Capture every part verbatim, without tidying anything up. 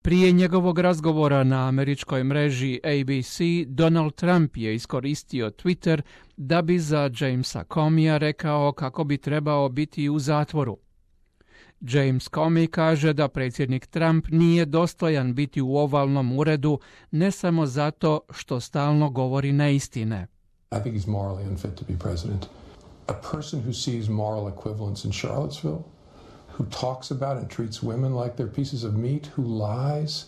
Prije njegovog razgovora na američkoj mreži A B C, Donald Trump je iskoristio Twitter da bi za Jamesa Comeyja rekao kako bi trebao biti u zatvoru. James Comey kaže da predsjednik Trump nije dostojan biti u ovalnom uredu ne samo zato što stalno govori neistine. I think he's morally unfit to be president. A person who sees moral equivalence in Charlottesville, who talks about and treats women like they're pieces of meat, who lies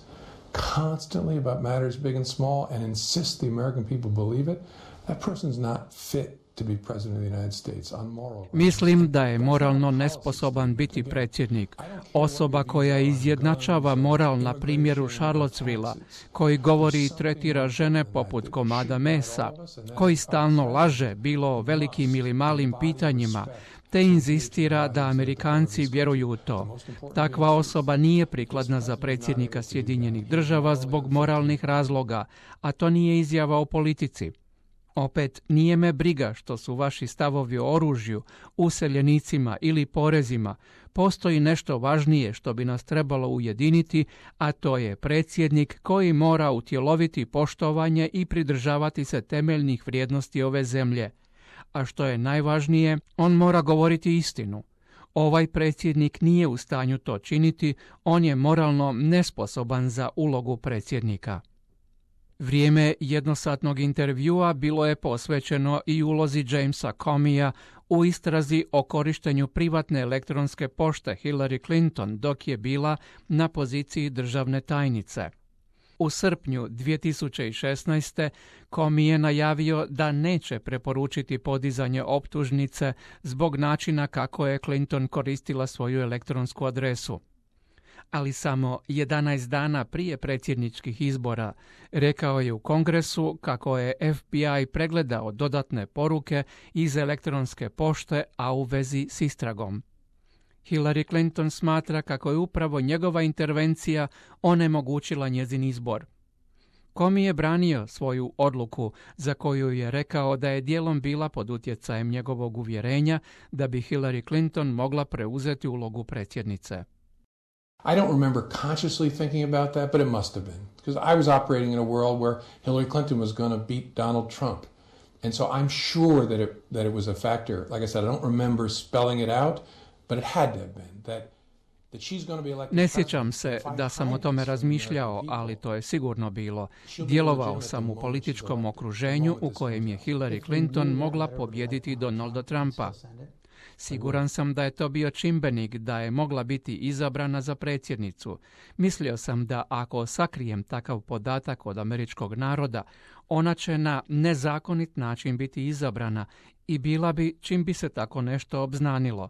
constantly about matters big and small and insists the American people believe it, that person's not fit to be president of the United States on moral. Mislim da je moralno nesposoban biti predsjednik. Osoba koja izjednačava moral na primjeru Charlottesvilla, koji govori i tretira žene poput komada mesa, koji stalno laže bilo o velikim ili malim pitanjima, te inzistira da Amerikanci vjeruju u to. Takva osoba nije prikladna za predsjednika Sjedinjenih Država zbog moralnih razloga, a to nije izjava o politici. Opet, nije me briga što su vaši stavovi o oružju, useljenicima ili porezima. Postoji nešto važnije što bi nas trebalo ujediniti, a to je predsjednik koji mora utjeloviti poštovanje i pridržavati se temeljnih vrijednosti ove zemlje. A što je najvažnije, on mora govoriti istinu. Ovaj predsjednik nije u stanju to činiti, on je moralno nesposoban za ulogu predsjednika. Vrijeme jednosatnog intervjua bilo je posvećeno i ulozi Jamesa Comeyja u istrazi o korištenju privatne elektronske pošte Hillary Clinton dok je bila na poziciji državne tajnice. U srpnju dvije tisuće šesnaeste. Comey je najavio da neće preporučiti podizanje optužnice zbog načina kako je Clinton koristila svoju elektronsku adresu. Ali samo jedanaest dana prije predsjedničkih izbora rekao je u Kongresu kako je F B I pregledao dodatne poruke iz elektronske pošte, a u vezi s istragom. Hillary Clinton smatra kako je upravo njegova intervencija onemogućila njezin izbor. Comey je branio svoju odluku za koju je rekao da je dijelom bila pod utjecajem njegovog uvjerenja da bi Hillary Clinton mogla preuzeti ulogu predsjednice. I don't remember consciously thinking about that, but it must have been. Because I was operating in a world where Hillary Clinton was going to beat Donald Trump. And so I'm sure that it, that it was a factor. Like I said, I don't remember spelling it out, but it had to have been. That, that she's going to be elected. Ne sjećam se da sam o tome razmišljao, ali to je sigurno bilo. Djelovao sam u političkom okruženju u kojem je Hillary Clinton mogla pobijediti Donalda Trumpa. Siguran sam da je to bio čimbenik da je mogla biti izabrana za predsjednicu. Mislio sam da ako sakrijem takav podatak od američkog naroda, ona će na nezakonit način biti izabrana i bila bi čim bi se tako nešto obznanilo.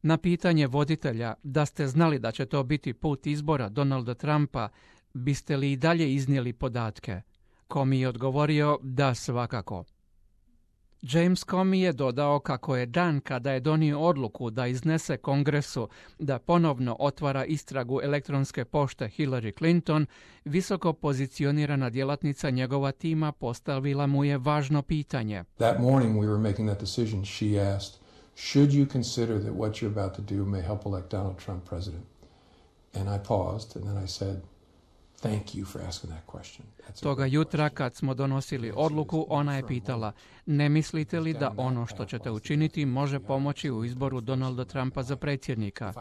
Na pitanje voditelja da ste znali da će to biti put izbora Donalda Trumpa, biste li i dalje iznijeli podatke? Comey je odgovorio da svakako. James Comey je dodao kako je dan kada je donio odluku da iznese Kongresu da ponovno otvara istragu elektronske pošte Hillary Clinton, visoko pozicionirana djelatnica njegova tima postavila mu je važno pitanje. That morning we were making that decision, she asked, should you consider that what you're about to do may help elect Donald Trump president? And I paused and then I said, thank you for asking that question. Toga jutra kad smo donosili odluku, ona je pitala, ne mislite li da ono što ćete učiniti može pomoći u izboru Donalda Trumpa za predsjednika?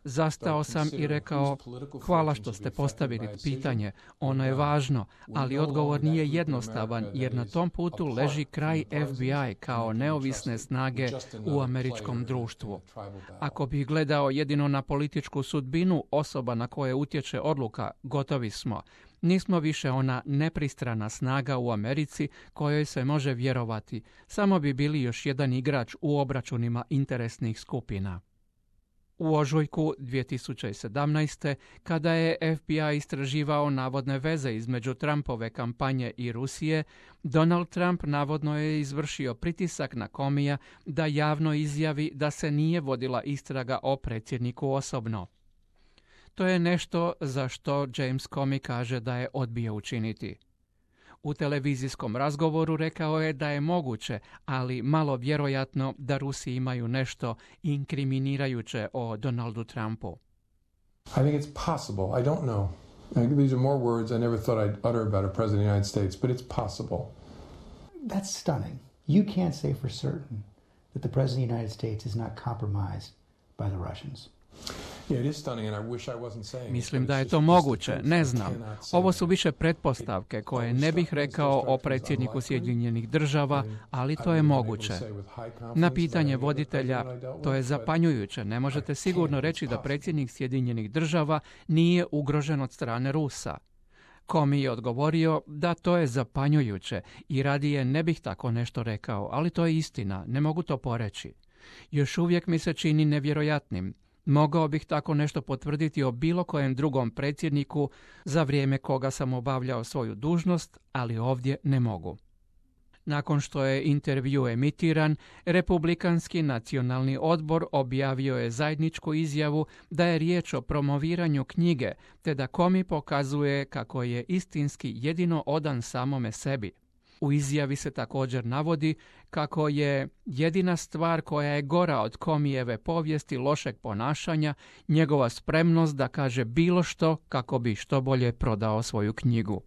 Zastao sam i rekao, hvala što ste postavili pitanje, ono je važno, ali odgovor nije jednostavan jer na tom putu leži kraj F B I kao neovisne snage u američkom društvu. Ako bih gledao jedino na političku sudbinu osoba na koje utječe odluka, gotovi smo. Nismo više ona nepristrana snaga u Americi kojoj se može vjerovati, samo bi bili još jedan igrač u obračunima interesnih skupina. U ožujku dvije tisuće sedamnaeste. kada je F B I istraživao navodne veze između Trumpove kampanje i Rusije, Donald Trump navodno je izvršio pritisak na Comeyja da javno izjavi da se nije vodila istraga o predsjedniku osobno. To je nešto za što James Comey kaže da je odbio učiniti. U televizijskom razgovoru rekao je da je moguće, ali malo vjerojatno da Rusi imaju nešto inkriminirajuće o Donaldu Trumpu. I think it's possible. I don't know. These are more words I never thought I'd utter about a president of the United States, but it's possible. That's stunning. You can't say for certain that the president of the United States is not compromised by the Russians. Mislim da je to moguće, ne znam. Ovo su više pretpostavke koje ne bih rekao o predsjedniku Sjedinjenih država, ali to je moguće. Na pitanje voditelja, to je zapanjujuće. Ne možete sigurno reći da predsjednik Sjedinjenih država nije ugrožen od strane Rusa. Comey je odgovorio da to je zapanjujuće i radije ne bih tako nešto rekao, ali to je istina, ne mogu to poreći. Još uvijek mi se čini nevjerojatnim. Mogao bih tako nešto potvrditi o bilo kojem drugom predsjedniku za vrijeme koga sam obavljao svoju dužnost, ali ovdje ne mogu. Nakon što je intervju emitiran, Republikanski nacionalni odbor objavio je zajedničku izjavu da je riječ o promoviranju knjige, te da Comey pokazuje kako je istinski jedino odan samome sebi. U izjavi se također navodi kako je jedina stvar koja je gora od Comeyjeve povijesti lošeg ponašanja njegova spremnost da kaže bilo što kako bi što bolje prodao svoju knjigu.